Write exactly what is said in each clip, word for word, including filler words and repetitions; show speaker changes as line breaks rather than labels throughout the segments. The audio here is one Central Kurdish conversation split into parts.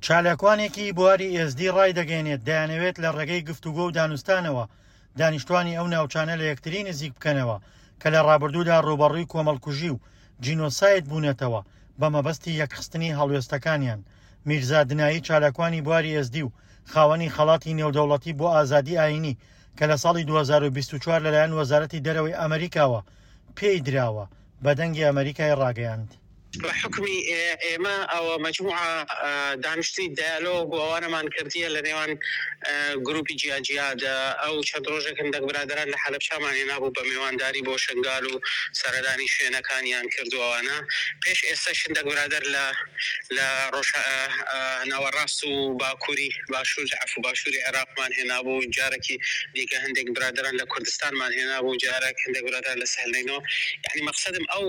چالاکوانێکی بواری ئێزدی ڕایدەگەیەنێت، دەیانەوێت لە ڕێگەی گفتوگۆ و دانوستانەوە دانیشتوانی ئەو ناوچانە لە یەکتری نزیک بکەنەوە کە لە ڕابردوودا ڕووبەڕووی کۆمەڵکوژی و جینۆساید بوونەتەوە بە مەبەستی یەکخستنی هەڵوێستەکانیان. میرزا دنایی چالاکوانی بواری ئێزدی و خاوەنی خەڵاتی نێودەوڵەتی بۆ ئازادی ئایینی کە لە ساڵی دوو هەزار و بیست و چوار لەلایەن وەزارەتی دەرەوەی ئەمریکاوە پێی دراوە، بە دەنگی ئەمەریکای ڕاگەیاند.
بە حوکمی ئێمە ئەوە مەجموعە دانیشتنی دایالۆگ و ئەوانەمان کردیە لە نێوان گروپی جیا جیا دا، ئەو چەند ڕۆژێک هەندەک برادەران لە حەلەبچامان هێنابوو بە مێوانداری بۆ شنگال و سەردانی شوێنەکانیان کرد و ئەوانە، پێش ئێستەش هەندەک برادەر لە لە ڕۆژ ناوەڕاست و باکووری باشوور عەفو باشووری عێراقمان هێنابوو، جارەکی دیکە هەندێک برادەران لە کوردستانمان هێنابوو، جارەک هەندێک برادەران لە سهلنەینۆ، یەعنی مەقسەدم ئەو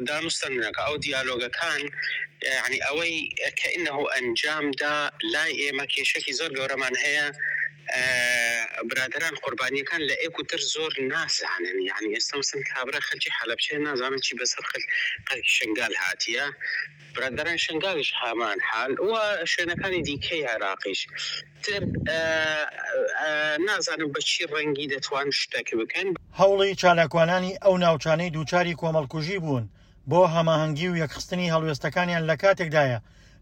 دانوستاندنەکە ئەو دیالۆگەکان یەعنی ئەوەی کە ئینه ئەنجام دا لای ئێمە کێشەکی زۆر گەورەمان هەیە برادەران قوربانیەکان لە ئێک و تر زۆر نازانن یەعنی ئێستا مەسەن کابرا خەلکی حەلەبچەیە نازانن چی بەسەر خەلکی شنگال هاتیە برادەران شنگالیش هامان حال و شوێنەکانی دیکەی عێراقیش تر نازانم بە چی ڕەنگی دەتوان شتەک بکەن.
هەوڵی چالاکوانانی ئەو ناوچانەی دووچاری کۆمەڵکوژی بوون بۆ هەماهەنگی و یەکخستنی هەڵوێستەکانیان لە کاتێکدایە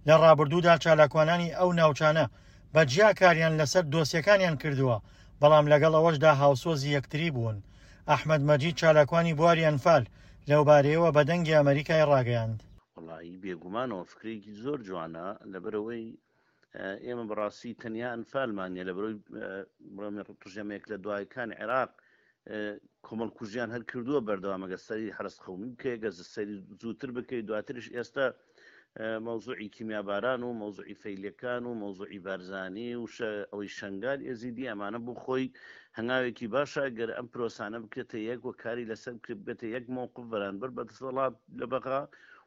لە ڕابردوودا چالاکوانانی ئەو ناوچانە بە جیا کاریان لەسەر دۆسیەکانیان کردووە، بەڵام لەگەڵ ئەوەشدا هاوسۆزی یەکتری بوون. ئەحمەد مەجید چالاکوانی بواری ئەنفال لەوبارەیەوە بە دەنگی ئەمەریکای ڕاگەیاند.
وەڵایی بێگومانەوە فکرەیەکی زۆر جوانە، لەبەرئەوەی ئێمە بەڕاستی تەنیا ئەنفالمان نیە، لەبەرئەوەی بڵێم ڕژێمێک لە دوایەکان عێراق کۆمەڵکوژیان هەر کردووە بەردەوام، ئەگەر سەری حەرەس قەومی بکەی، گەر سەری زووتر بکەی، دواترش ئێستا مەوزوعی کیمیاباران و مەوزوعی فەیلیەکان و مەوزوعی بارزانی و ئەوەی شەنگال ئێزیدی ئەمانە بۆ خۆی هەنگاوێکی باشە گەر ئەم پرۆسانە بکرێتە یەک و کاری لەسەر بکرێت بێتە یەک مەوقف بەرانبەر بە دەسەڵات لە بەغا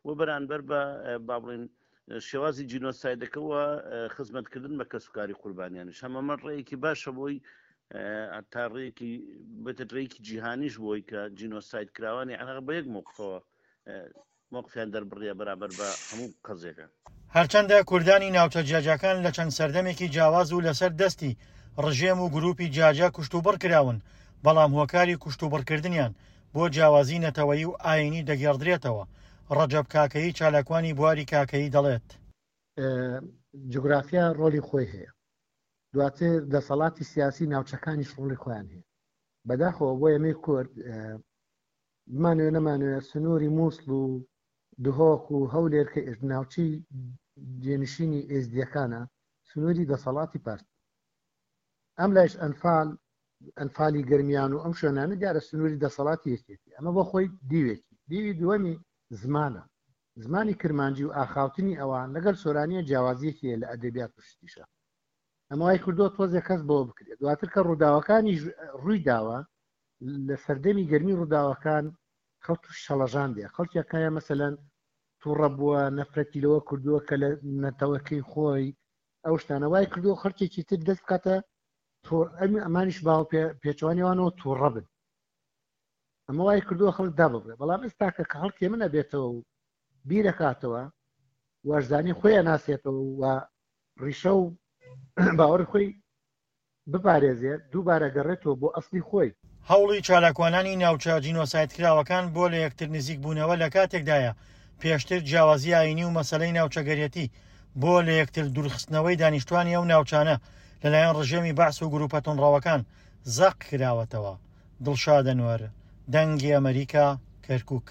و بەرانبەر بە با بڵێن شێوازی جینۆسایدەکە و خزمەتکردن بە کەسوکاری قوربانیانیش هەمەمە ڕێیەکی باشە بۆی تا ڕێیەکی بێتە ڕێیەکی جیهانیش بۆی کە جینۆساید کراوانی عێراق بە یەک مەوقفەوە مەوقفیان دەربڕیە بەرامبەر بە هەموو قەزیەکە.
هەرچەندە کوردانی ناوچە جیاجیاکان لە چەند سەردەمێکی جیاواز و لەسەر دەستی ڕژێم و گروپی جیاجیا کوشتوبڕ کراون، بەڵام هۆکاری کوشتوبڕکردنیان بۆ جیاوازی نەتەوەیی و ئایینی دەگێڕدرێتەوە. ڕەجەب کاکەیی چالاکوانی بواری کاکەیی دەڵێت،
جوگرافیا ڕۆڵی خۆی هەیە، دواتر دەسەڵاتی سیاسی ناوچەکانیش ڕۆڵی خۆیان هەیە. بەداخەوە بۆ ئێمەی کورد بمانەوێ نەمانەوێ سنووری مووسڵ و دهۆک و هەولێر کە ناوچەی جێنشینی ئێزدیەکانە سنووری دەسەڵاتی پارتی. ئەم لایش ئەنفال، ئەنفالی گەرمیان و ئەم شوێنانە دیارە سنووری دەسەڵاتی یەکێتی. ئەمە بۆ خۆی دیوێکی. دیوی دووەمی زمانە. زمانی کرمانجی و ئاخاوتنی ئەوان لەگەڵ سۆرانیە جیاوازیەکی هەیە لە ئەدەبیات و شتیشە. ئەمە وای کردووە تۆزێک کەس بەوە بکرێت. دواتر کە ڕووداوەکانی ڕووی داوە لە سەردەمی گەرمی ڕووداوەکان خەڵک تووش شەڵەژان دێ. خەڵکێکایە مەسەلەن تووڕە بووە، نەفرەتی لەوە کردووە کە لە نەتەوەکەی خۆی ئەو شتانە وای کردووە خەڵکێکی تر دەست بکاتە ئەمانیش باو پێچوانیوانەوە تووڕە بن. ئەمە وای کردووە خەڵک داببڕێ. بەڵام ئێستاکە کە خەڵکی من ئەبێتەوە و بیرەکاتەوە وەرزانی خۆی ئەناسێتەوە و ڕیشە و باوەڕی خۆی بپارێزێت، دووبارە گەڕێتەوە بۆ ئەسلی خۆی.
هەوڵی چالاکوانانی ناوچە جینۆسایدکراوەکان بۆ لە یەکتر نزیکبوونەوە لە کاتێکدایە پێشتر جیاوازی ئایینی و مەسەلەی ناوچەگەرێتی بۆ لە یەکتر دوورخستنەوەی دانیشتوانی ئەو ناوچانە لەلایەن ڕژێمی بەعس و گروپە توندڕەوەکان زەق کراوەتەوە. دڵشاد ئەنوەر، دەنگی ئەمەریکا، کەرکوک.